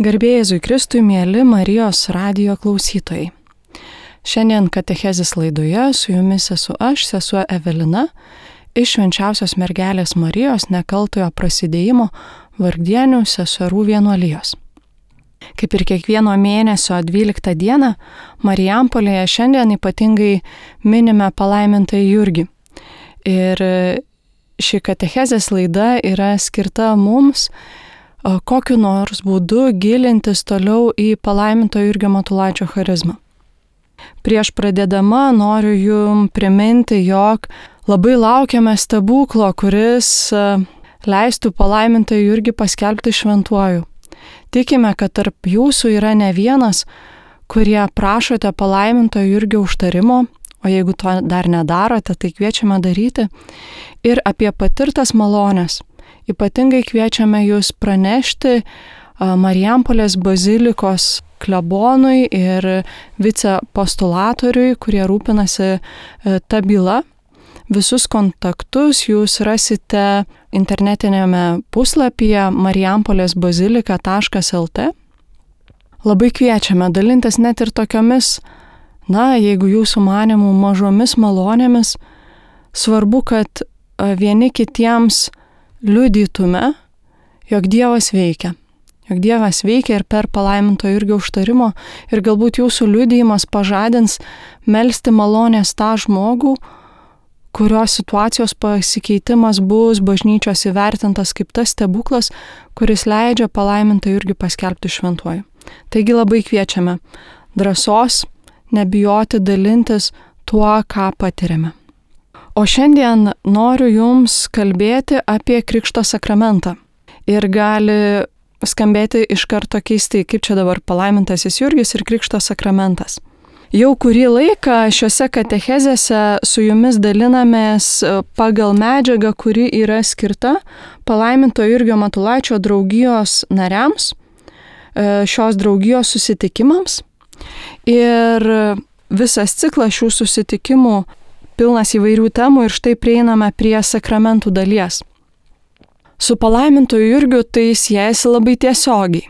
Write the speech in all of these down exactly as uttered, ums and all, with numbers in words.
Garbė Jėzui Kristui, mieli Marijos radijo klausytojai. Šiandien katechezės laidoje su jumis esu aš, sesuo Evelina, iš Švenčiausios mergelės Marijos nekaltojo prasidėjimo Vargdienių seserų vienuolijos. Kaip ir kiekvieno mėnesio dvyliktą dieną, Marijampolėje šiandien ypatingai minime palaimintąjį Jurgį. Ir ši katechezės laida yra skirta mums kokiu nors būdu gilintis toliau į palaiminto Jurgio Matulaičio charizmą. Prieš pradėdama noriu jums priminti, jog labai laukiame stebuklo, kuris leistų palaimintą Jurgį paskelbti šventuoju. Tikime, kad tarp jūsų yra ne vienas, kurie prašote palaiminto Jurgio užtarimo, o jeigu to dar nedarote, tai kviečiame daryti, ir apie patirtas malones. Ypatingai kviečiame jūs pranešti Marijampolės bazilikos klebonui ir vicepostulatoriui, kurie rūpinasi ta byla. Visus kontaktus jūs rasite internetinėme puslapyje marijampolės bazilika taškas el tė. Labai kviečiame dalintis net ir tokiomis, na, jeigu jūsų manimų mažomis malonėmis, svarbu, kad vieni kitiems liudytume, jog Dievas veikia. Jog Dievas veikia ir per palaiminto Jurgio užtarimo ir galbūt jūsų liudijimas pažadins melsti malonės tą žmogų, kurios situacijos pasikeitimas bus bažnyčios įvertintas kaip tas stebuklas, kuris leidžia palaimintą Jurgį paskelbti šventuoju. Taigi labai kviečiame drąsos, nebijoti dalintis tuo, ką patiriame. O šiandien noriu jums kalbėti apie Krikšto sakramentą. Ir gali skambėti iš karto keistai, kaip čia dabar palaimintasis Jurgis ir Krikšto sakramentas. Jau kurį laiką šiuose katechezėse su jumis dalinamės pagal medžiagą, kuri yra skirta palaiminto Jurgio Matulaičio draugijos nariams, šios draugijos susitikimams. Ir visas ciklas šių susitikimų pilnas įvairių temų ir štai prieiname prie sakramentų dalies. Su palaimintu Jurgiu tai siejasi labai tiesiogiai.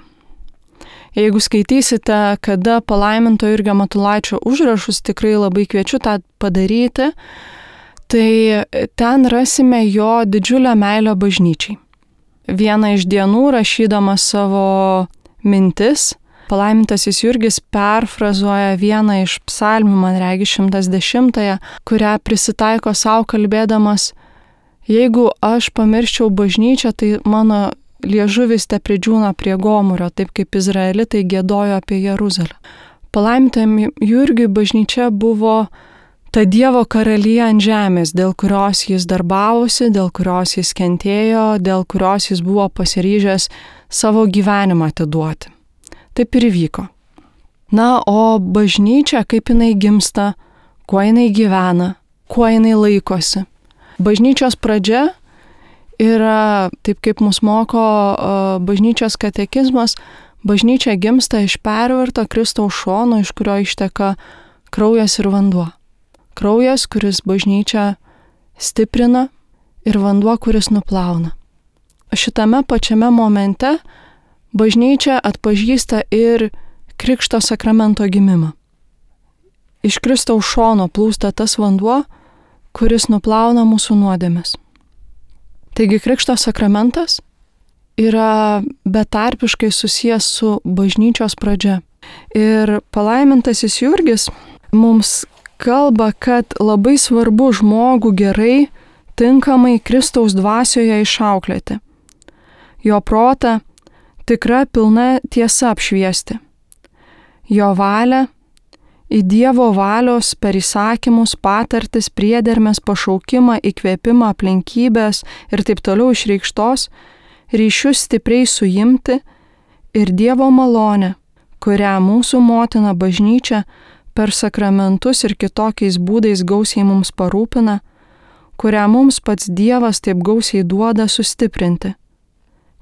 Jeigu skaitysite, kada palaiminto Jurgio Matulaičio užrašus, tikrai labai kviečiu tą padaryti, tai ten rasime jo didžiulę meilę bažnyčiai. Vieną iš dienų, rašydamas savo mintis, palaimintasis Jurgis perfrazuoja vieną iš psalmių, man regi šimtas dešimtąją, kurią prisitaiko savo kalbėdamas: jeigu aš pamirščiau bažnyčią, tai mano liežuvis te pridžiūna prie gomurio, taip kaip izraelitai giedojo apie Jeruzalę. Palaimintam Jurgiui bažnyčia buvo ta Dievo karalija ant žemės, dėl kurios jis darbavosi, dėl kurios jis kentėjo, dėl kurios jis buvo pasiryžęs savo gyvenimą atiduoti. Taip ir įvyko. Na, o bažnyčia, kaip jinai gimsta, kuo jinai gyvena, kuo jinai laikosi. Bažnyčios pradžia yra, taip kaip mus moko uh, bažnyčios katekizmas, bažnyčia gimsta iš perverto Kristaus šono, iš kurio išteka kraujas ir vanduo. Kraujas, kuris bažnyčią stiprina, ir vanduo, kuris nuplauna. Šitame pačiame momente bažnyčia atpažįsta ir Krikšto sakramento gimimą. Iš Kristaus šono plūsta tas vanduo, kuris nuplauna mūsų nuodėmes. Taigi Krikšto sakramentas yra betarpiškai susijęs su bažnyčios pradžia. Ir palaimintasis Jurgis mums kalba, kad labai svarbu žmogų gerai, tinkamai Kristaus dvasioje išauklėti. Jo protą tikra pilna tiesa apšviesti. Jo valią į Dievo valios per įsakymus, patartis, priedermes, pašaukimą, įkvėpimą, aplinkybės ir taip toliau išreikštos, ryšius stipriai suimti ir Dievo malonę, kurią mūsų motina bažnyčia per sakramentus ir kitokiais būdais gausiai mums parūpina, kurią mums pats Dievas taip gausiai duoda sustiprinti.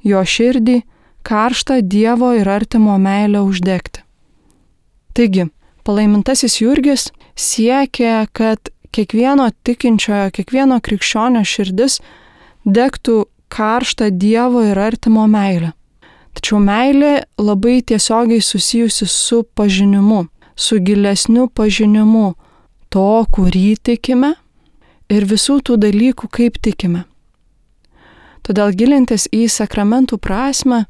Jo širdį karštą Dievo ir artimo meilę uždegti. Taigi, palaimintasis Jurgis siekia, kad kiekvieno tikinčiojo, kiekvieno krikščionio širdis degtų karštą Dievo ir artimo meilę. Tačiau meilė labai tiesiogiai susijusi su pažinimu, su gilesniu pažinimu to, kurį tikime ir visų tų dalykų, kaip tikime. Todėl gilintis į sakramentų prasmę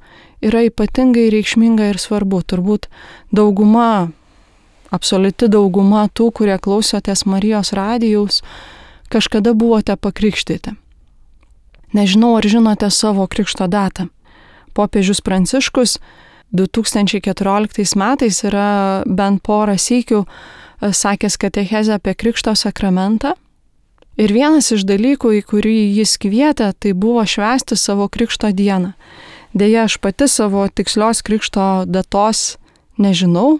yra ypatingai reikšminga ir svarbu. Turbūt dauguma, absoliuti dauguma tų, kurie klausotės Marijos radijaus, kažkada buvote pakrikštyti. Nežinau, ar žinote savo krikšto datą. Popiežius Pranciškus du tūkstančiai keturioliktais metais yra bent porą sykių sakęs katechezę apie krikšto sakramentą. Ir vienas iš dalykų, į kurį jis kvietė, tai buvo švęsti savo krikšto dieną. Deja, aš pati savo tikslios krikšto datos nežinau.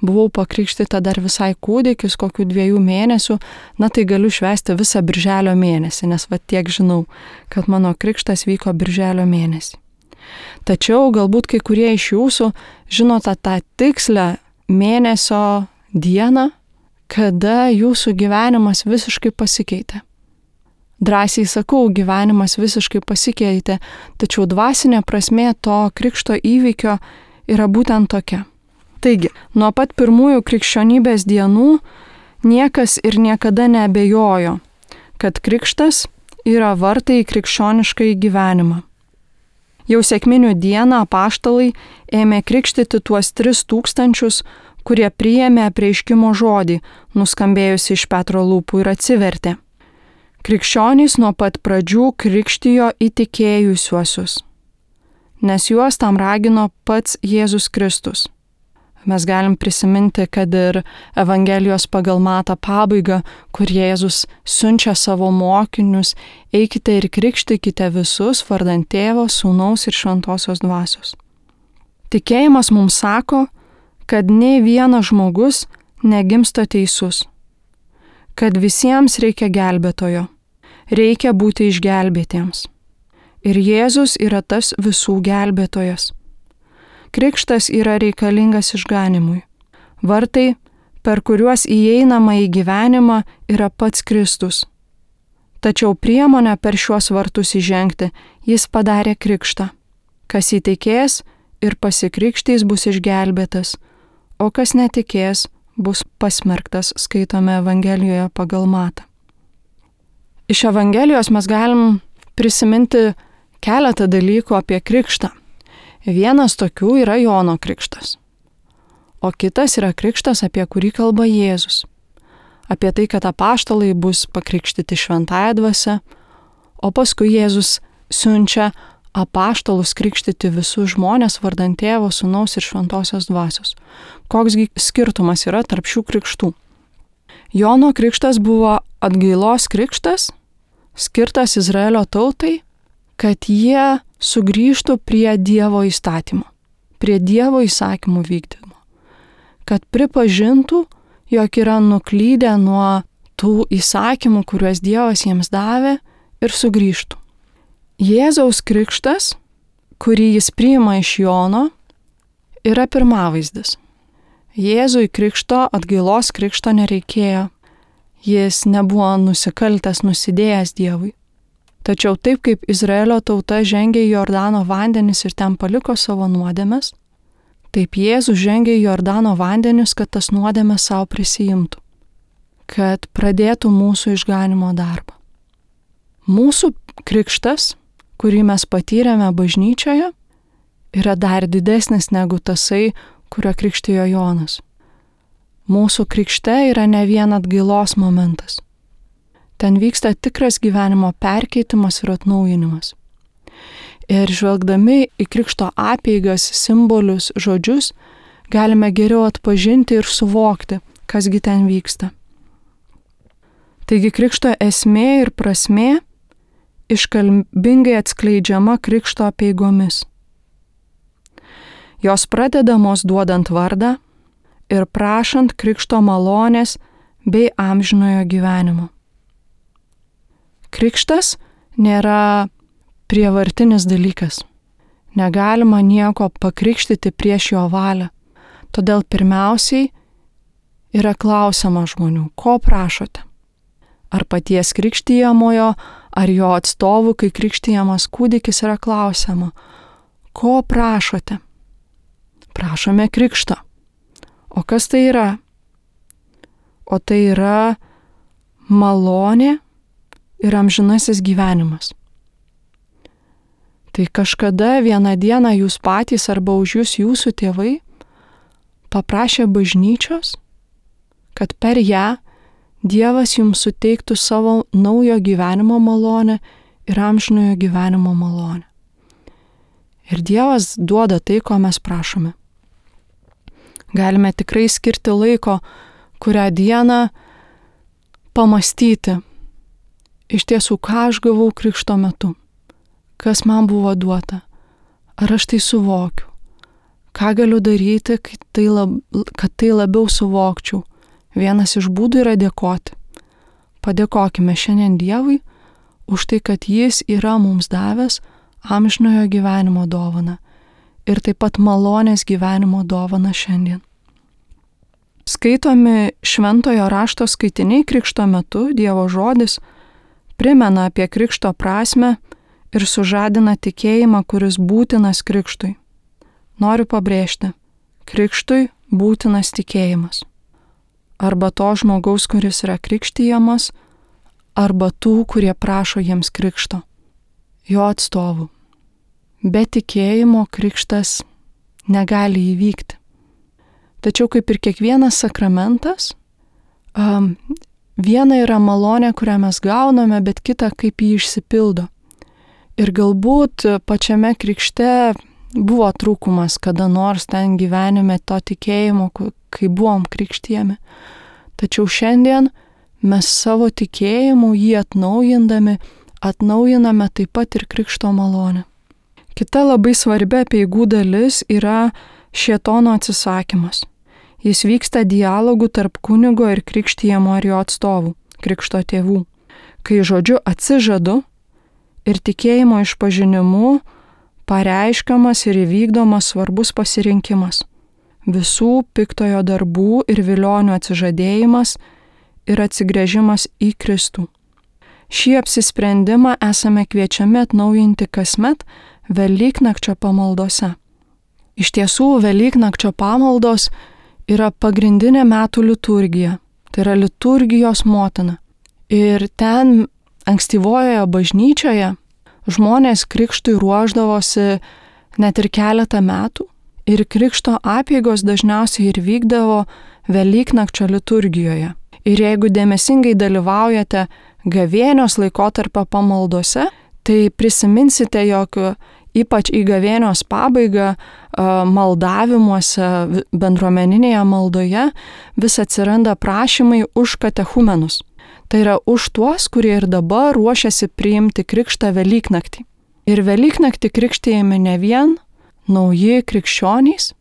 Buvau pakrikštyta dar visai kūdikis, kokių dviejų mėnesių. Na tai galiu švęsti visą birželio mėnesį, nes va tiek žinau, kad mano krikštas vyko birželio mėnesį. Tačiau galbūt kai kurie iš jūsų žinote tą tikslę mėnesio dieną, kada jūsų gyvenimas visiškai pasikeitė. Drąsiai sakau, gyvenimas visiškai pasikeitė, tačiau dvasinė prasmė to krikšto įvykio yra būtent tokia. Taigi, nuo pat pirmųjų krikščionybės dienų niekas ir niekada neabejojo, kad krikštas yra vartai į krikščionišką gyvenimą. Jau sekminių dieną apaštalai ėmė krikštyti tuos tris tūkstančius, kurie priėmė apreiškimo žodį, nuskambėjusi iš Petro lūpų ir atsivertė. Krikščionys nuo pat pradžių krikštijo įtikėjusiuosius, nes juos tam ragino pats Jėzus Kristus. Mes galim prisiminti, kad ir Evangelijos pagal Matą pabaigą, kur Jėzus siunčia savo mokinius, eikite ir krikštykite visus vardant Tėvo, Sūnaus ir Šventosios Dvasios. Tikėjimas mums sako, kad nei vienas žmogus negimsta teisus, kad visiems reikia gelbėtojo, reikia būti išgelbėtiems. Ir Jėzus yra tas visų gelbėtojas. Krikštas yra reikalingas išganimui. Vartai, per kuriuos įeinama į gyvenimą, yra pats Kristus. Tačiau priemonę per šiuos vartus įžengti jis padarė krikštą. Kas įtikės ir pasikrikštys bus išgelbėtas, o kas netikės bus pasmerktas, skaitome Evangelijoje pagal Matą. Iš Evangelijos mes galim prisiminti keletą dalykų apie krikštą. Vienas tokių yra Jono krikštas, o kitas yra krikštas, apie kurį kalba Jėzus. Apie tai, kad apaštalai bus pakrikštyti šventąja dvasia, o paskui Jėzus siunčia apaštalus krikštyti visus žmonės vardant Tėvo, Sūnaus ir Šventosios Dvasios. Koksgi skirtumas yra tarp šių krikštų? Jono krikštas buvo atgailos krikštas, skirtas Izraelio tautai, kad jie sugrįžtų prie Dievo įstatymo, prie Dievo įsakymų vykdymo, kad pripažintų, jog yra nuklydę nuo tų įsakymų, kuriuos Dievas jiems davė, ir sugrįžtų. Jėzaus krikštas, kurį jis priima iš Jono, yra pirmavaizdis. Jėzui krikšto, atgailos krikšto nereikėjo. Jis nebuvo nusikaltęs, nusidėjęs Dievui. Tačiau taip kaip Izraelio tauta žengė į Jordano vandenis ir ten paliko savo nuodėmes, taip Jėzus žengė į Jordano vandenis, kad tas nuodėmes savo prisijimtų, kad pradėtų mūsų išganimo darbą. Mūsų krikštas, kurį mes patyrėme bažnyčioje, yra dar didesnis negu tasai, kurio krikštijo Jonas. Mūsų krikšte yra ne vien atgailos momentas. Ten vyksta tikras gyvenimo perkeitimas ir atnaujinimas. Ir žvelgdami į krikšto apeigas, simbolius, žodžius, galime geriau atpažinti ir suvokti, kasgi ten vyksta. Taigi krikšto esmė ir prasmė iškalbingai atskleidžiama krikšto apeigomis. Jos pradedamos duodant vardą ir prašant krikšto malonės bei amžinojo gyvenimo. Krikštas nėra prievartinis dalykas. Negalima nieko pakrikštyti prieš jo valią. Todėl pirmiausiai yra klausiama žmonių, ko prašote? Ar paties krikštijamojo, ar jo atstovų, kai krikštijamas kūdikis, yra klausiama, Ko prašote? Prašome krikšto. O kas tai yra? O tai yra malonė ir amžinasis gyvenimas. Tai kažkada vieną dieną jūs patys arba už jūs jūsų tėvai paprašė bažnyčios, kad per ją Dievas jums suteiktų savo naujo gyvenimo malonę ir amžinojo gyvenimo malonę. Ir Dievas duoda tai, ko mes prašome. Galime tikrai skirti laiko, kurią dieną pamastyti, iš tiesų, ką aš gavau krikšto metu, kas man buvo duota, ar aš tai suvokiu, ką galiu daryti, kad tai, lab, kad tai labiau suvokčiau. Vienas iš būdų yra dėkoti. Padėkokime šiandien Dievui už tai, kad Jis yra mums davęs amžinojo gyvenimo dovaną ir taip pat malonės gyvenimo dovaną šiandien. Skaitomi šventojo rašto skaitiniai krikšto metu, Dievo žodis primena apie krikšto prasmę ir sužadina tikėjimą, kuris būtinas krikštui. Noriu pabrėžti, krikštui būtinas tikėjimas. Arba to žmogaus, kuris yra krikštijamas, arba tų, kurie prašo jiems krikšto, jo atstovų. Be tikėjimo krikštas negali įvykti. Tačiau kaip ir kiekvienas sakramentas, um, viena yra malonė, kurią mes gauname, bet kita, kaip jį išsipildo. Ir galbūt pačiame krikšte buvo trūkumas kada nors ten gyvenime to tikėjimo, kai buvom krikštijami. Tačiau šiandien mes savo tikėjimu jį atnaujindami, atnaujiname taip pat ir krikšto malonę. Kita labai svarbi apeigų dalis yra šėtono atsisakymas. Jis vyksta dialogų tarp kunigo ir krikštijamo ir jo atstovų, krikšto tėvų. Kai žodžiu atsižadu ir tikėjimo išpažinimu pareiškiamas ir įvykdomas svarbus pasirinkimas. Visų piktojo darbų ir vilionių atsižadėjimas ir atsigręžimas į Kristų. Šį apsisprendimą esame kviečiami atnaujinti kasmet Velyknakčio pamaldose. Iš tiesų, Velyknakčio pamaldos yra pagrindinė metų liturgija, tai yra liturgijos motina. Ir ten ankstyvojoje bažnyčioje žmonės krikštui ruošdavosi net ir keletą metų ir krikšto apeigos dažniausiai ir vykdavo Velyknakčio liturgijoje. Ir jeigu dėmesingai dalyvaujate gavėnios laikotarpio pamaldose, tai prisiminsite, jog ypač į gavėnios pabaigą maldavimuose, bendruomeninėje maldoje vis atsiranda prašymai už katechumenus. Tai yra už tuos, kurie ir dabar ruošiasi priimti krikštą Velyknaktį. Ir Velyknaktį krikštijami ne vien nauji krikščionys,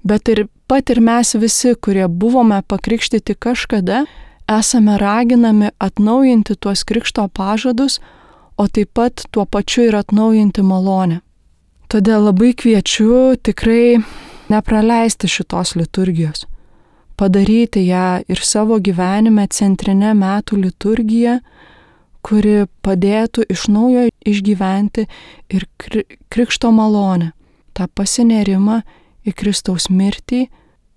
bet ir pat ir mes visi, kurie buvome pakrikštyti kažkada, esame raginami atnaujinti tuos krikšto pažadus, o taip pat tuo pačiu ir atnaujinti malonę. Todėl labai kviečiu tikrai nepraleisti šitos liturgijos. Padaryti ją ir savo gyvenime centrinę metų liturgiją, kuri padėtų iš naujo išgyventi ir krikšto malonę, tą pasinerimą į Kristaus mirtį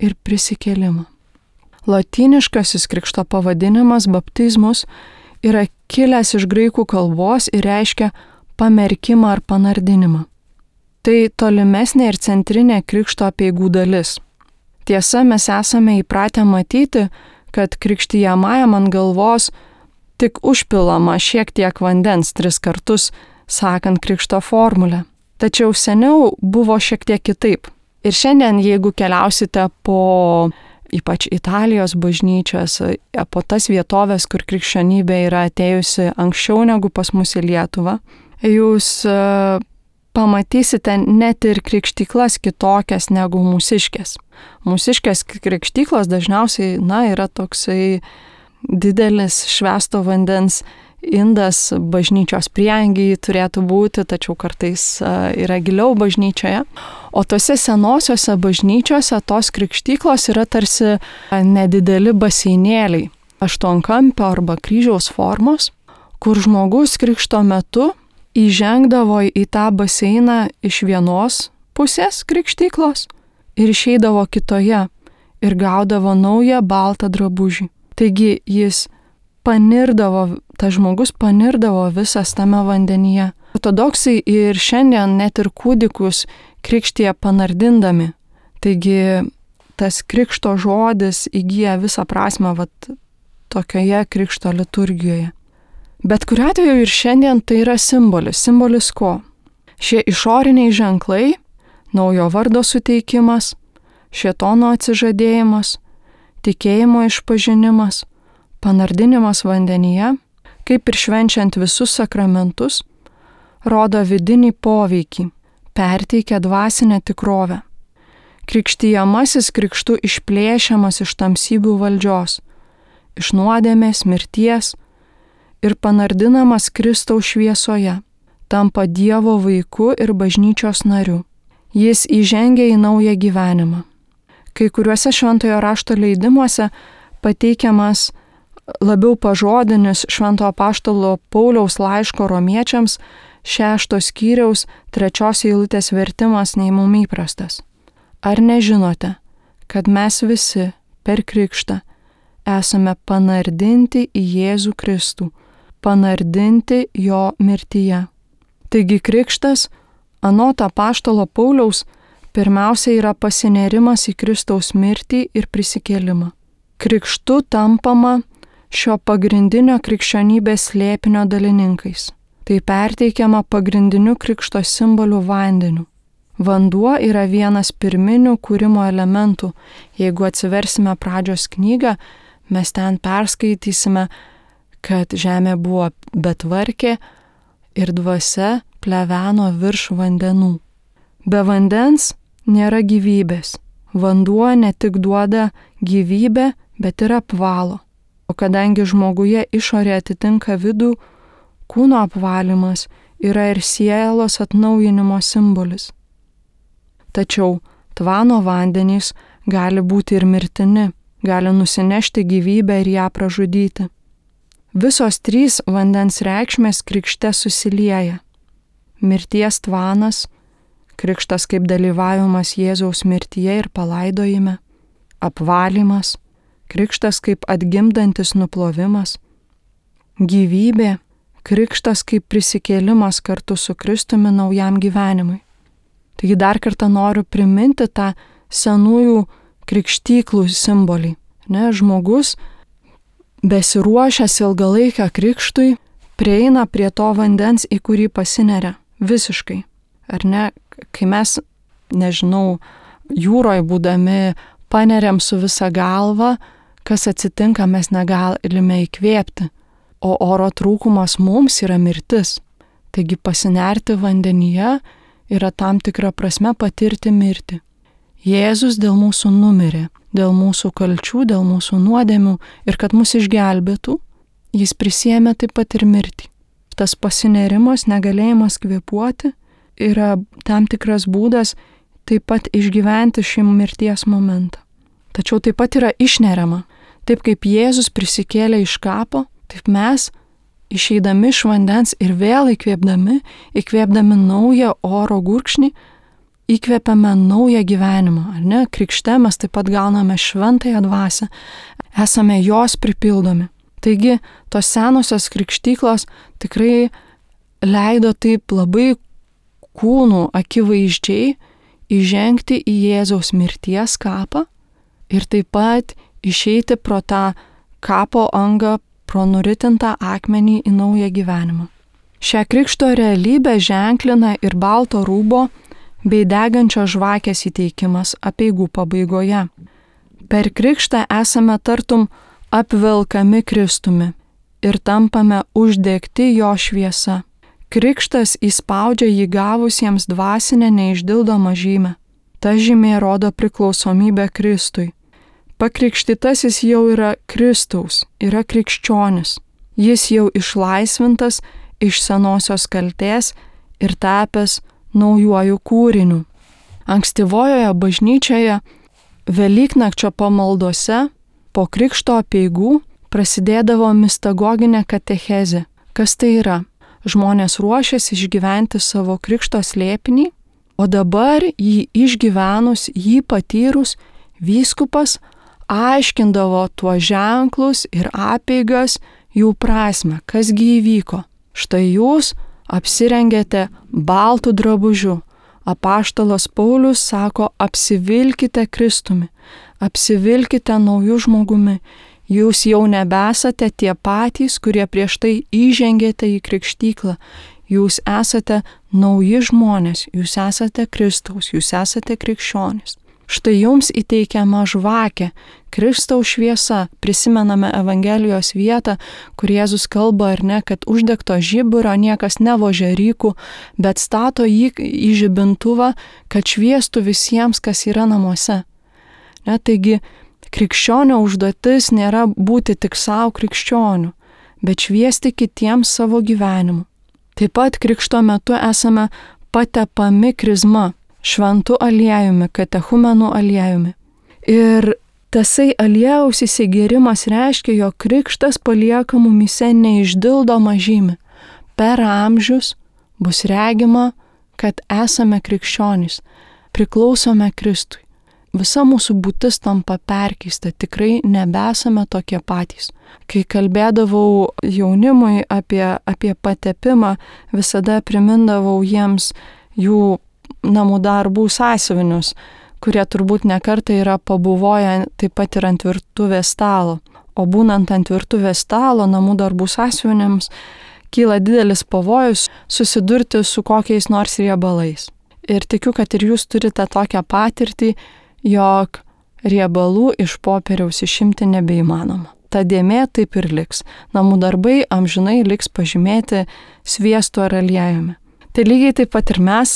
ir prisikėlimą. Lotyniškasis krikšto pavadinimas baptizmus yra kilęs iš graikų kalbos ir reiškia pamerkimą ar panardinimą. Tai tolimesnė ir centrinė krikšto apeigų dalis. Tiesa, mes esame įpratę matyti, kad krikštijamajam ant galvos tik užpilama šiek tiek vandens tris kartus, sakant krikšto formulę. Tačiau seniau buvo šiek tiek kitaip. Ir šiandien, jeigu keliausite po ypač Italijos bažnyčias, po tas vietovės, kur krikščionybė yra atėjusi anksčiau negu pas mus į Lietuvą, jūs pamatysite net ir krikštyklas kitokias negu mūsiškės. Mūsiškės krikštyklos dažniausiai, na, yra toksai didelis švęsto vandens indas bažnyčios prieangiai turėtų būti, tačiau kartais yra giliau bažnyčioje. O tose senosiose bažnyčiose tos krikštyklos yra tarsi nedideli baseinėliai, aštuonkampio arba kryžiaus formos, kur žmogus krikšto metu įžengdavo į tą baseiną iš vienos pusės krikštyklos ir išeidavo kitoje ir gaudavo naują baltą drabužį. Taigi jis panirdavo, tas žmogus panirdavo visas tame vandenyje. Ortodoksai ir šiandien net ir kūdikus krikštija panardindami. Taigi tas krikšto žodis įgyja visą prasmę vat, tokioje krikšto liturgijoje. Bet kuriuo atveju ir šiandien tai yra simbolis. Simbolis ko? Šie išoriniai ženklai, naujo vardo suteikimas, šėtono atsižadėjimas, tikėjimo išpažinimas, panardinimas vandenyje, kaip ir švenčiant visus sakramentus, rodo vidinį poveikį, perteikia dvasinę tikrovę. Krikštijamasis krikštu išplėšiamas iš tamsybių valdžios, iš nuodėmės, mirties ir panardinamas Kristaus šviesoje, tampa Dievo vaiku ir bažnyčios nariu. Jis įžengia į naują gyvenimą. Kai kuriuose šventojo rašto leidimuose pateikiamas labiau pažodinis švento apaštalo Pauliaus laiško romiečiams šešto skyriaus trečios eilutės vertimas nei mum įprastas. Ar nežinote, kad mes visi per krikštą esame panardinti į Jėzų Kristų, panardinti jo mirtyje. Taigi krikštas, anot apaštalo Pauliaus, pirmiausia yra pasinėrimas į Kristaus mirtį ir prisikėlimą. Krikštu tampama šio pagrindinio krikščionybės slėpinio dalininkais. Tai perteikiama pagrindiniu krikšto simboliu vandeniu. Vanduo yra vienas pirminių kūrimo elementų. Jeigu atsiversime pradžios knygą, mes ten perskaitysime, kad žemė buvo betvarkė ir dvasia pleveno virš vandenų. Be vandens nėra gyvybės. Vanduo ne tik duoda gyvybę, bet ir apvalo. O kadangi žmoguje išorė atitinka vidų, kūno apvalymas yra ir sielos atnaujinimo simbolis. Tačiau tvano vandenys gali būti ir mirtini, gali nusinešti gyvybę ir ją pražudyti. Visos trys vandens reikšmės krikšte susilieja. Mirties tvanas, krikštas kaip dalyvavimas Jėzaus mirtyje ir palaidojime, apvalymas, krikštas kaip atgimdantis nuplovimas, gyvybė, krikštas kaip prisikėlimas kartu su Kristumi naujam gyvenimui. Taigi dar kartą noriu priminti tą senųjų krikštyklų simbolį. Ne, žmogus, besiruošęs ilgalaikę krikštui, prieina prie to vandens, į kurį pasineria visiškai. Ar ne, kai mes, nežinau, jūroje būdami paneriam su visa galva, kas atsitinka, mes negalime įkvėpti, o oro trūkumas mums yra mirtis. Taigi pasinerti vandenyje yra tam tikra prasme patirti mirtį. Jėzus dėl mūsų numirė, dėl mūsų kalčių, dėl mūsų nuodėmių ir kad mus išgelbėtų, jis prisiėmė taip pat ir mirtį. Tas pasinerimas, negalėjimas kvėpuoti yra tam tikras būdas taip pat išgyventi šį mirties momentą. Tačiau taip pat yra išneriama. Taip kaip Jėzus prisikėlė iš kapo, taip mes išeidami iš vandens ir vėl įkvėpdami, įkvėpdami naują oro gurkšnį, įkvėpiame naują gyvenimą, ar ne? Krikšte mes taip pat gauname šventąją dvasią, esame jos pripildomi. Taigi, tos senosios krikštyklos tikrai leido taip labai kūnų akivaizdžiai įžengti į Jėzaus mirties kapą ir taip pat išeiti pro tą kapo angą, pro nuritintą akmenį į naują gyvenimą. Šią krikšto realybę ženklina ir balto rūbo bei degančios žvakės įteikimas apeigų pabaigoje. Per krikštą esame tartum apvelkami Kristumi ir tampame uždegti jo šviesa. Krikštas įspaudžia jį gavusiems dvasinę neišdildomą žymę. Ta žymė rodo priklausomybę Kristui. Pakrikštytasis jau yra Kristaus, yra krikščionis. Jis jau išlaisvintas iš senosios kaltės ir tapęs naujuoju kūriniu. Ankstyvojoje bažnyčioje Velyknakčio pamaldose po krikšto apeigų prasidėdavo mistagoginė katechezė. Kas tai yra? žmonės ruošėsi išgyventi savo krikšto slėpinį, o dabar jį išgyvenus, jį patyrus, vyskupas aiškindavo tuos ženklus ir apeigas, jų prasme, kasgi įvyko. Štai jūs apsirengėte baltų drabužiu. Apaštalas Paulius sako, apsivilkite Kristumi, apsivilkite naujų žmogumi. Jūs jau nebesate tie patys, kurie prieš tai įžengėte į krikštyklą. Jūs esate nauji žmonės, jūs esate Kristaus, jūs esate krikščionys. Štai jums įteikiama žvakė, Kristaus šviesa. Prisimename Evangelijos vietą, kur Jėzus kalba, ar ne, kad uždegto žiburo niekas nevožia rykų, bet stato jį į žibintuvą, kad šviestų visiems, kas yra namuose. Ne, taigi, krikščionio užduotis nėra būti tik savo krikščioniu, bet šviesti kitiems savo gyvenimu. Taip pat krikšto metu esame patepami krizma, šventu aliejumi, katechumenų aliejumi. Ir tasai aliejaus įsigėrimas reiškia, jog krikštas palieka mumyse neišdildomą žymę. Per amžius bus regima, kad esame krikščionys, priklausome Kristui. Visa mūsų būtis tampa perkeista, tikrai nebesame tokie patys. Kai kalbėdavau jaunimui apie, apie patepimą, visada primindavau jiems jų namų darbų sąsiuvinius, kurie turbūt nekartą yra pabuvoję taip pat ir ant virtuvės stalo. O būnant ant virtuvės stalo, namų darbų sąsiuviniams kyla didelis pavojus susidurti su kokiais nors riebalais. Ir tikiu, kad ir jūs turite tokią patirtį, jog riebalų iš popieriaus išimti nebeįmanoma. Ta dėmė taip ir liks. Namų darbai amžinai liks pažymėti sviestu ar aliejumi. Tai lygiai taip pat ir mes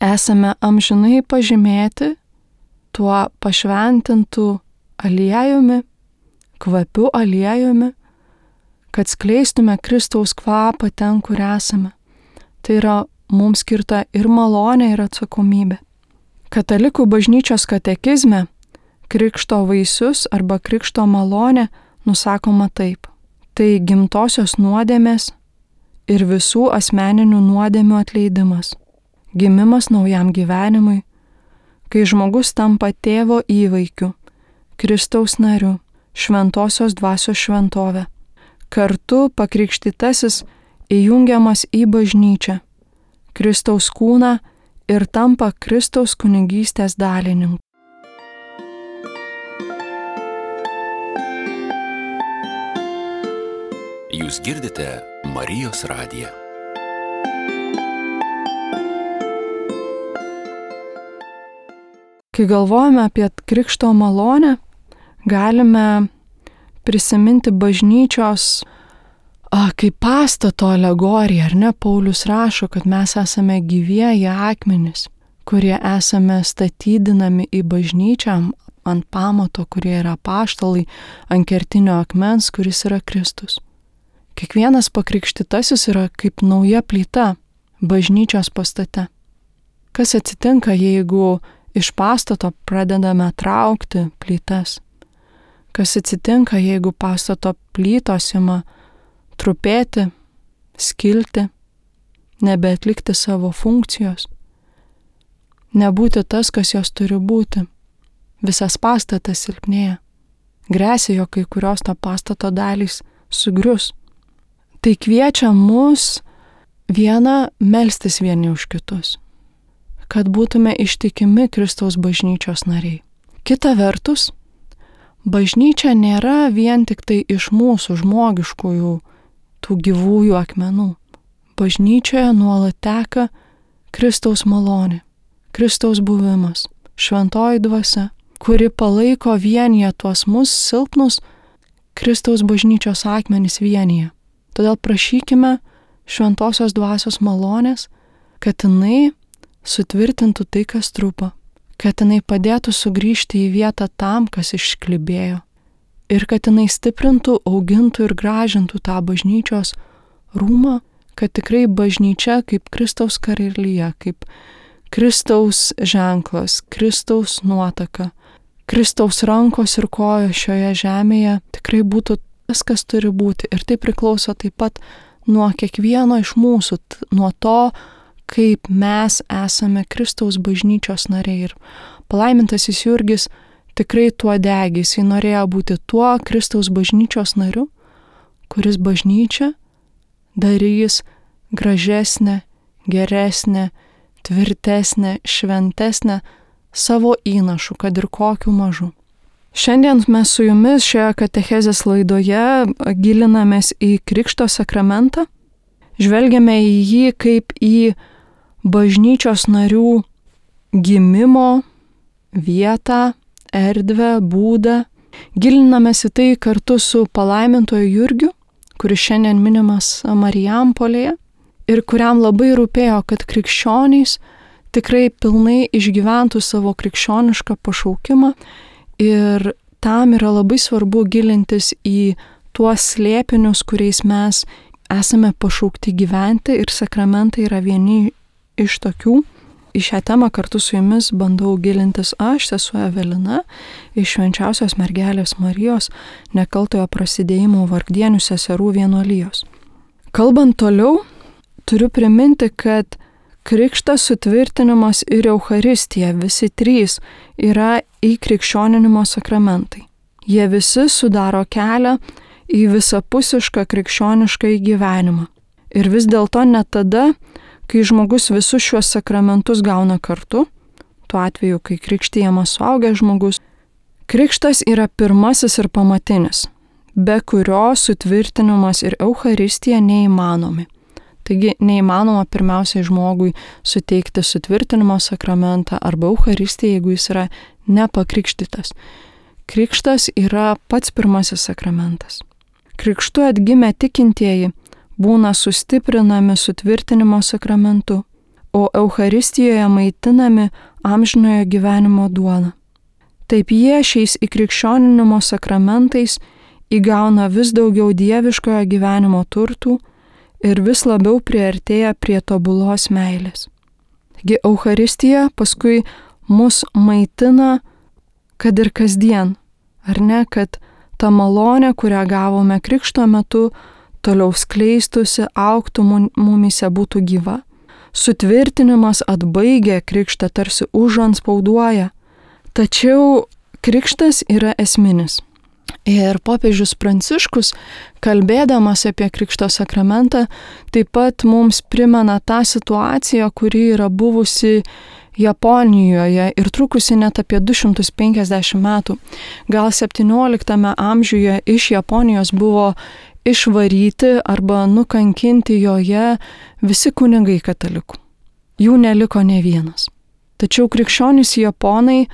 esame amžinai pažymėti tuo pašventintų aliejumi, kvapiu aliejumi, kad skleistume Kristaus kvapą ten, kur esame. Tai yra mums skirta ir malonė, ir atsakomybė. Katalikų bažnyčios katekizme krikšto vaisius arba krikšto malonė nusakoma taip. Tai gimtosios nuodėmės ir visų asmeninių nuodėmių atleidimas. Gimimas naujam gyvenimui, kai žmogus tampa tėvo įvaikiu, Kristaus nariu, šventosios dvasios šventovė. Kartu pakrikštytasis įjungiamas į bažnyčią, Kristaus kūną ir tampa Kristaus kunigystės dalininku. Jūs girdite Marijos radiją. Kai galvojame apie krikšto malonę, galime prisiminti bažnyčios a, kaip pastato alegoriją, ar ne? Paulius rašo, kad mes esame gyvieji akmenys, kurie esame statydinami į bažnyčią ant pamato, kurie yra apaštalai, ant kertinio akmens, kuris yra Kristus. Kiekvienas pakrikštytasis yra kaip nauja plyta bažnyčios pastate. Kas atsitinka, jeigu iš pastato pradedame traukti plytas? Kas atsitinka, jeigu pastato plytos ima trupėti, skilti, nebeatlikti savo funkcijos, nebūti tas, kas jos turi būti? Visas pastatas silpnėja. Gresia, jog kai kurios to pastato dalys sugrius. Tai kviečia mus viena melstis vieni už kitus, kad būtume ištikimi Kristaus bažnyčios nariai. Kita vertus, bažnyčia nėra vien tik tai iš mūsų žmogiškųjų tų gyvųjų akmenų. Bažnyčioje nuolat teka Kristaus malonė, Kristaus buvimas, šventoji dvasia, kuri palaiko vienyje tuos mus silpnus Kristaus bažnyčios akmenys vienyje. Todėl prašykime šventosios dvasios malonės, kad jinai sutvirtintų tai, kas trupa, kad jinai padėtų sugrįžti į vietą tam, kas išklibėjo, ir kad jinai stiprintų, augintų ir gražintų tą bažnyčios rūmą, kad tikrai bažnyčia kaip Kristaus karalija, kaip Kristaus ženklas, Kristaus nuotaka, Kristaus rankos ir kojos šioje žemėje tikrai būtų tas, kas turi būti. Ir tai priklauso taip pat nuo kiekvieno iš mūsų, nuo to, kaip mes esame Kristaus bažnyčios nariai. Ir palaimintasis Jurgis tikrai tuo degė, jis norėjo būti tuo Kristaus bažnyčios nariu, kuris bažnyčią darys gražesnę, geresnę, tvirtesnę, šventesnę savo įnašu, kad ir kokiu mažu. Šiandien mes su jumis šioje katechezės laidoje gilinamės į Krikšto sakramentą, žvelgiame į jį kaip į bažnyčios narių gimimo vietą, erdvę, būdą. Gilinamės į tai kartu su palaimintoju Jurgiu, kuris šiandien minimas Marijampolėje ir kuriam labai rūpėjo, kad krikščionys tikrai pilnai išgyventų savo krikščionišką pašaukimą ir tam yra labai svarbu gilintis į tuos slėpinius, kuriais mes esame pašaukti gyventi ir sakramentai yra vieni iš tokių. Į šią temą kartu su jumis bandau gilintis aš, sesuo Evelina, iš Švenčiausios mergelės Marijos nekaltojo prasidėjimo Vargdienių seserų vienuolijos. Kalbant toliau, turiu priminti, kad krikštas, sutvirtinimas ir Eucharistija, visi trys, yra įkrikščioninimo sakramentai. Jie visi sudaro kelią į visapusišką krikščionišką gyvenimą. Ir vis dėlto net tada, kai žmogus visus šiuos sakramentus gauna kartu, tuo atveju, kai krikštijamas suaugęs žmogus, krikštas yra pirmasis ir pamatinis, be kurio sutvirtinimas ir Eucharistija neįmanomi. Taigi neįmanoma pirmiausiai žmogui suteikti sutvirtinimo sakramentą arba Eucharistiją, jeigu jis yra nepakrikštytas. Krikštas yra pats pirmasis sakramentas. Krikštu atgimę tikintieji būna sustiprinami sutvirtinimo sakramentu, o Eucharistijoje maitinami amžinojo gyvenimo duona. Taip jie šiais įkrikščioninimo sakramentais įgauna vis daugiau dieviškojo gyvenimo turtų ir vis labiau priartėja prie tobulos meilės. Taigi Eucharistija paskui mus maitina, kad ir kasdien, ar ne, kad ta malonė, kurią gavome krikšto metu, toliau skleistusi, augtų mumyse, būtų gyva. Sutvirtinimas atbaigia krikštą, tarsi užantspauduoja. Tačiau krikštas yra esminis. Ir popiežius Pranciškus, kalbėdamas apie Krikšto sakramentą, taip pat mums primena tą situaciją, kuri yra buvusi Japonijoje ir trukusi net apie du šimtus penkiasdešimt metų. Gal septynioliktame amžiuje iš Japonijos buvo išvaryti arba nukankinti joje visi kunigai katalikų. Jų neliko ne vienas. Tačiau krikščionys japonai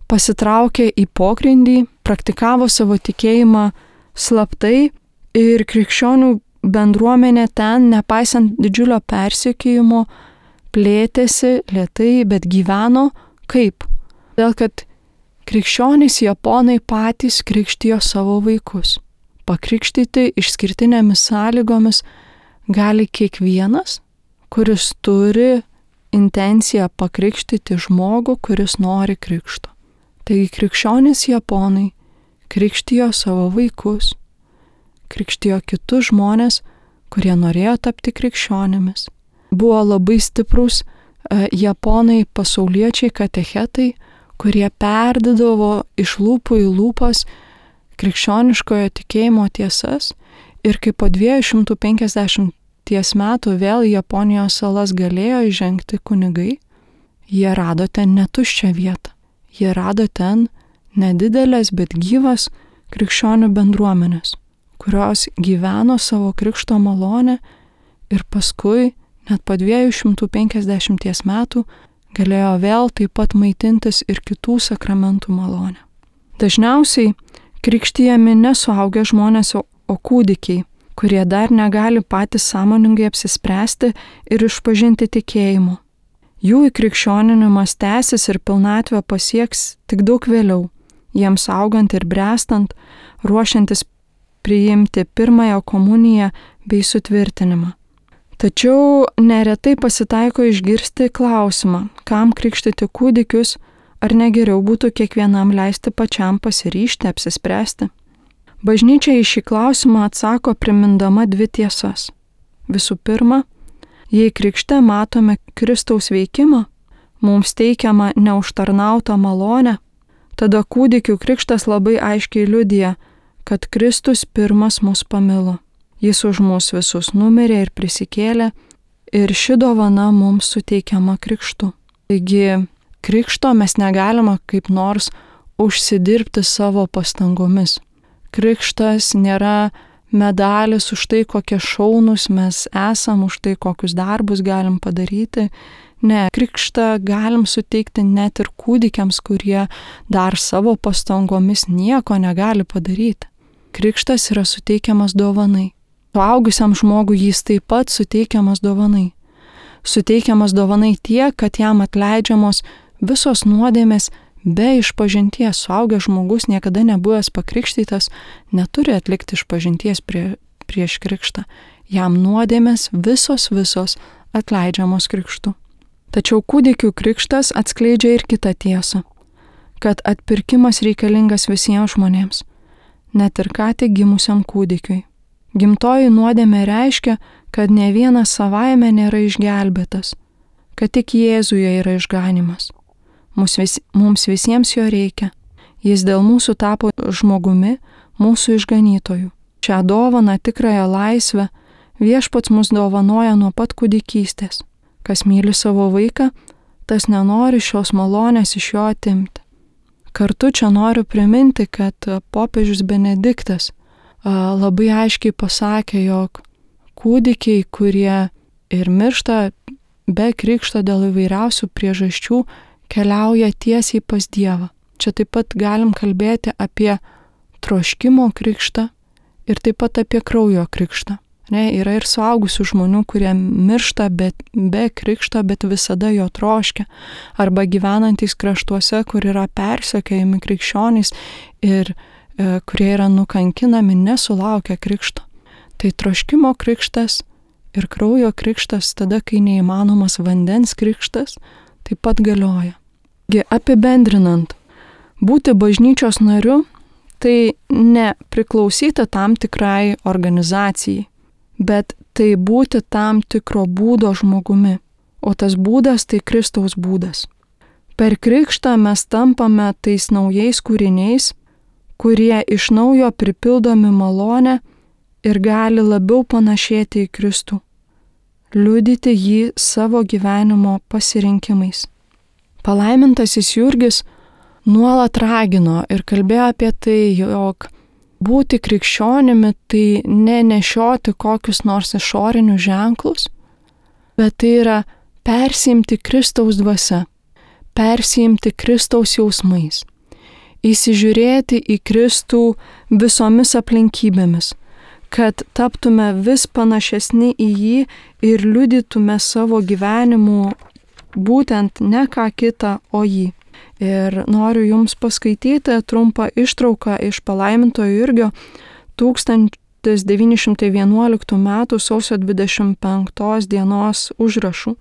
pasitraukė į pogrindį, praktikavo savo tikėjimą slaptai ir krikščionių bendruomenė ten, nepaisant didžiulio persekiojimo, plėtėsi lėtai, bet gyveno kaip? Todėl, kad krikščionys japonai patys krikštijo savo vaikus. Pakrikštyti išskirtinėmis sąlygomis gali kiekvienas, kuris turi intenciją pakrikštyti žmogų, kuris nori krikšto. Taigi krikščionys japonai krikštijo savo vaikus, krikštijo kitus žmonės, kurie norėjo tapti krikščionimis. Buvo labai stiprus e, japonai pasauliečiai katechetai, kurie perdydavo iš lūpų į lūpas krikščioniškojo tikėjimo tiesas ir kai po dviejų šimtų penkiasdešimties metų vėl į Japonijos salas galėjo įžengti kunigai, jie rado ten netuščią vietą. Jie rado ten nedidelės, bet gyvas krikščionių bendruomenės, kurios gyveno savo krikšto malonę ir paskui net po dviejų šimtų penkiasdešimties metų galėjo vėl taip pat maitintis ir kitų sakramentų malonę. Dažniausiai krikštijami nesuaugę žmonės, o kūdikiai, kurie dar negali patys sąmoningai apsispręsti ir išpažinti tikėjimo. Jų įkrikščioninimas tęsis ir pilnatvę pasieks tik daug vėliau, jiems augant ir brestant, ruošiantis priimti pirmąją komuniją bei sutvirtinimą. Tačiau neretai pasitaiko išgirsti klausimą, kam krikštyti kūdikius, ar negeriau būtų kiekvienam leisti pačiam pasiryžti, apsispręsti. Bažnyčia į šį klausimą atsako primindama dvi tiesas. Visų pirma, jei krikšte matome Kristaus veikimą, mums teikiama neužtarnautą malonę, tada kūdikių krikštas labai aiškiai liudija, kad Kristus pirmas mus pamilo. Jis už mus visus numirė ir prisikėlė, ir ši dovana mums suteikiama krikštu. Taigi, krikšto mes negalime kaip nors užsidirbti savo pastangomis. Krikštas nėra medalis už tai, kokie šaunus mes esam, už tai, kokius darbus galim padaryti. Ne, krikštą galim suteikti net ir kūdikiams, kurie dar savo pastangomis nieko negali padaryti. Krikštas yra suteikiamas dovanai. Suaugusiam žmogui jis taip pat suteikiamas dovanai. Suteikiamas dovanai tiek, kad jam atleidžiamos visos nuodėmės be išpažinties. Suaugęs žmogus, niekada nebuvęs pakrikštytas, neturi atlikti išpažinties prie, prieš krikštą. Jam nuodėmės visos visos atleidžiamos krikštu. Tačiau kūdikių krikštas atskleidžia ir kitą tiesą, kad atpirkimas reikalingas visiems žmonėms, net ir ką tik gimusiam kūdikiui. Gimtoji nuodėmė reiškia, kad ne vienas savaime nėra išgelbėtas, kad tik Jėzuje yra išganymas. Mums, vis, mums visiems jo reikia. Jis dėl mūsų tapo žmogumi, mūsų išganytojų. Šią dovaną, tikrąją laisvę, viešpats mus dovanoja nuo pat kūdikystės. Kas myli savo vaiką, tas nenori šios malonės iš jo atimti. Kartu čia noriu priminti, kad popiežius Benediktas labai aiškiai pasakė, jog kūdikiai, kurie ir miršta be krikšto dėl įvairiausių priežasčių, keliauja tiesiai pas Dievą. Čia taip pat galim kalbėti apie troškimo krikštą ir taip pat apie kraujo krikštą. Ne, yra ir suaugusių žmonių, kurie miršta be, be krikšto, bet visada jo troškia. Arba gyvenantys kraštuose, kur yra persekiojami krikščionys ir e, kurie yra nukankinami, nesulaukia krikšto. Tai troškimo krikštas ir kraujo krikštas, tada, kai neįmanomas vandens krikštas, taip pat galioja. Apibendrinant, būti bažnyčios nariu tai ne priklausyti tam tikrai organizacijai, bet tai būti tam tikro būdo žmogumi, o tas būdas tai Kristaus būdas. Per krikštą mes tampame tais naujais kūriniais, kurie iš naujo pripildomi malonę ir gali labiau panašėti į Kristų, liudyti jį savo gyvenimo pasirinkimais. Palaimintasis Jurgis nuolat ragino ir kalbėjo apie tai, jog būti krikščionimi tai nenešioti kokius nors išorinius ženklus, bet tai yra persiimti Kristaus dvasia, persiimti Kristaus jausmais, įsižiūrėti į Kristų visomis aplinkybėmis, kad taptume vis panašesni į jį ir liudytume savo gyvenimu būtent ne ką kitą, o jį. Ir noriu Jums paskaityti trumpą ištrauką iš palaimintojo Jurgio tūkstantis devyni šimtai vienuoliktų metų sausio dvidešimt penktos dienos užrašų.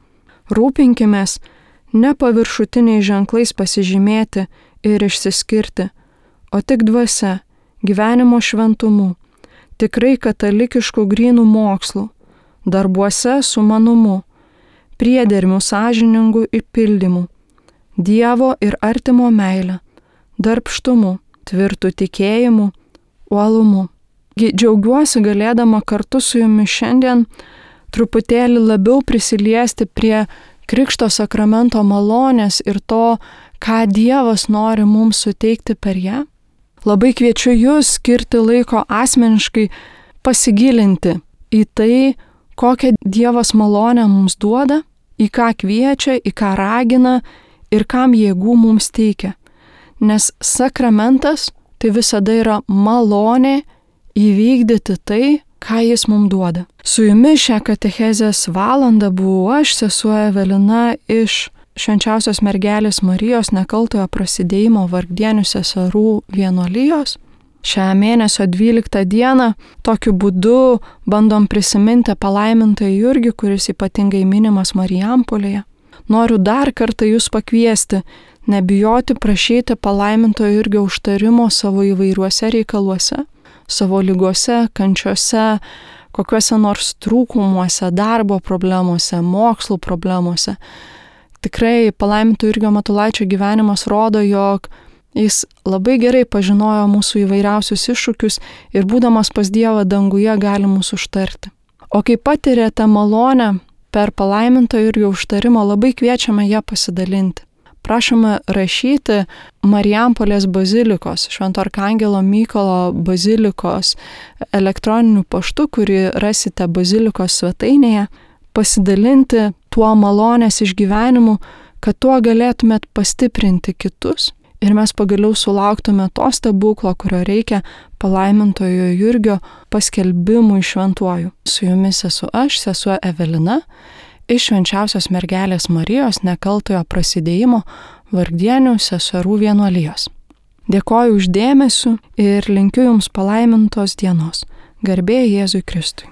Rūpinkimės ne paviršutiniais ženklais pasižymėti ir išsiskirti, o tik dvasia, gyvenimo šventumu, tikrai katalikiškų grynų mokslų, darbuose sumanumu, priedermių sąžiningų įpildymų, Dievo ir artimo meilę, darbštumu, tvirtų tikėjimu, uolumu. Džiaugiuosi galėdama kartu su Jumis šiandien truputėlį labiau prisiliesti prie Krikšto sakramento malonės ir to, ką Dievas nori mums suteikti per ją. Labai kviečiu Jūs skirti laiko asmeniškai pasigilinti į tai, kokią Dievas malonę mums duoda, į ką kviečia, į ką ragina ir kam jėgų mums teikia. Nes sakramentas tai visada yra malonė įvykdyti tai, ką jis mums duoda. Su Jumis šią katechezės valandą buvau aš, sesuo Evelina, iš Švenčiausios mergelės Marijos nekaltojo prasidėjimo Vargdienių seserų vienuolijos. Šią mėnesio dvyliktą dieną tokiu būdu bandom prisiminti palaimintąjį Jurgį, kuris ypatingai minimas Marijampolėje. Noriu dar kartą Jūs pakviesti, nebijoti prašyti palaimintojo Jurgio užtarimo savo įvairiuose reikaluose, savo ligose, kančiose, kokiuose nors trūkumuose, darbo problemuose, mokslų problemuose. Tikrai palaiminto Jurgio Matulaičio gyvenimas rodo, jog jis labai gerai pažinojo mūsų įvairiausius iššūkius ir būdamas pas Dievą danguje gali mūsų užtarti. O kai patirėte malonę per palaiminto Jurgio užtarimą, labai kviečiame ją pasidalinti. Prašome rašyti Marijampolės bazilikos, Švento Arkangelo Mykolo bazilikos elektroniniu paštu, kurį rasite bazilikos svetainėje, pasidalinti tuo malonės išgyvenimu, kad tuo galėtumėt pastiprinti kitus ir mes pagaliau sulauktume to stebuklo, kurio reikia palaimintojo Jurgio paskelbimui šventuoju. Su jumis esu aš, sesuo Evelina, iš Švenčiausios mergelės Marijos nekaltojo prasidėjimo Vargdienių seserų vienuolijos. Dėkoju už dėmesį ir linkiu jums palaimintos dienos. Garbė Jėzui Kristui.